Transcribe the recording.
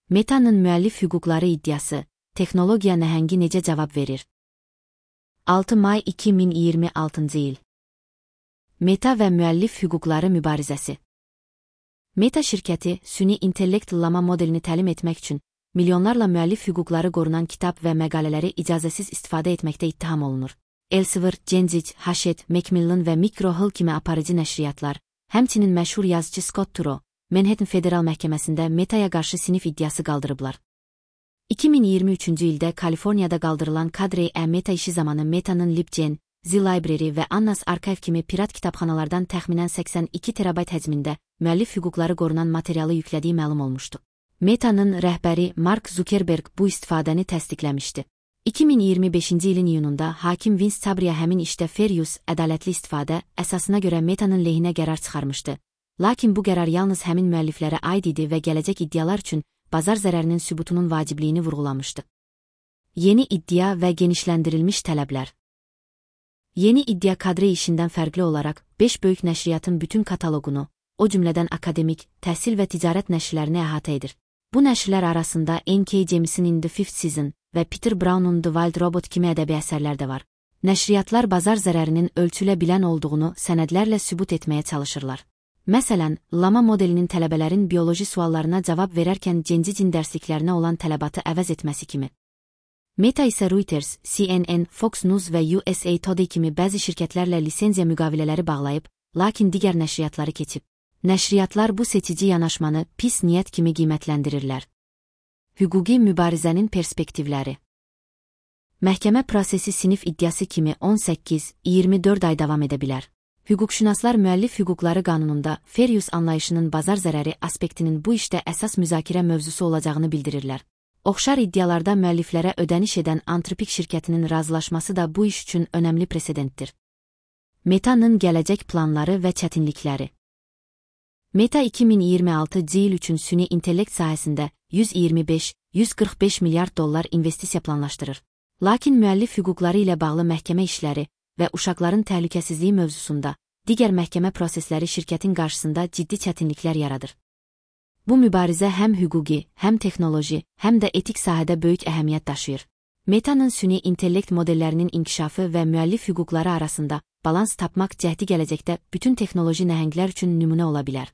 Meta'nın müəllif hüquqları iddiası, texnologiya nəhəngi necə cavab verir? 6 may 2026 il. Meta və müəllif hüquqları mübarizəsi. Meta şirkəti, süni intellekt lama modelini təlim etmək üçün, milyonlarla müəllif hüquqları qorunan kitab və məqalələri icazəsiz istifadə etməkdə ittiham olunur. Elsevier, Genzic, Hachette, Macmillan və Micro Hill kimi aparıcı nəşriyyatlar, həmçinin məşhur yazıcı Scott Turow, Manhattan Federal Məhkəməsində Meta'ya qarşı sinif iddiası qaldırıblar. 2023-cü ildə Kaliforniyada qaldırılan Cadre Meta işi zamanı Meta'nın LibGen, Z-Library və Annas Archive kimi pirat kitabxanalardan təxminən 82 terabayt həcmində müəllif hüquqları qorunan materialı yüklədiyi məlum olmuşdu. Meta'nın rəhbəri Mark Zuckerberg bu istifadəni təsdiqləmişdi. 2025-ci ilin iyununda hakim Vince Chabria həmin işdə fair use, ədalətli istifadə əsasına görə Meta'nın lehinə qərar çıxarmışdı. Lakin bu qərar yalnız həmin müəlliflərə aid idi və gələcək iddialar üçün bazar zərərinin sübutunun vacibliyini vurğulamışdı. Yeni iddia və genişləndirilmiş tələblər. Yeni iddia Cadre işindən fərqli olaraq 5 böyük nəşriyyatın bütün kataloqunu, o cümlədən akademik, təhsil və ticarət nəşrlərini əhatə edir. Bu nəşrlər arasında N.K. Jemisin In the Fifth Season və Peter Brown'un The Wild Robot kimi ədəbi əsərlər də var. Nəşriyyatlar bazar zərərinin ölçülə bilən olduğunu sənədlərlə sübut etməyə çalışırlar. Məsələn, Lama modelinin tələbələrin bioloji suallarına cavab verərkən Genzicin dərsliklərinə olan tələbatı əvəz etməsi kimi. Meta isə Reuters, CNN, Fox News və USA Today kimi bəzi şirkətlərlə lisenziya müqavilələri bağlayıb, lakin digər nəşriyyatları keçib. Nəşriyyatlar bu seçici yanaşmanı pis niyyət kimi qiymətləndirirlər. Hüquqi mübarizənin perspektivləri. Məhkəmə prosesi sinif iddiası kimi 18-24 ay davam edə bilər. Hüquqşünaslar müəllif hüquqları qanununda fair use anlayışının bazar zərəri aspektinin bu işdə əsas müzakirə mövzusu olacağını bildirirlər. Oxşar iddialarda müəlliflərə ödəniş edən Anthropic şirkətinin razılaşması da bu iş üçün önəmli presedentdir. Meta'nın gələcək planları və çətinlikləri. Meta 2026-cı il üçün süni intellekt sahəsində 125-145 milyard dollar investisiya planlaşdırır. Lakin müəllif hüquqları ilə bağlı məhkəmə işləri və uşaqların təhlükəsizliyi mövzusunda digər məhkəmə prosesləri şirkətin qarşısında ciddi çətinliklər yaradır. Bu mübarizə həm hüquqi, həm texnoloji, həm də etik sahədə böyük əhəmiyyət daşıyır. Meta'nın süni intellekt modellərinin inkişafı və müəllif hüquqları arasında balans tapmaq cəhdi gələcəkdə bütün texnoloji nəhənglər üçün nümunə ola bilər.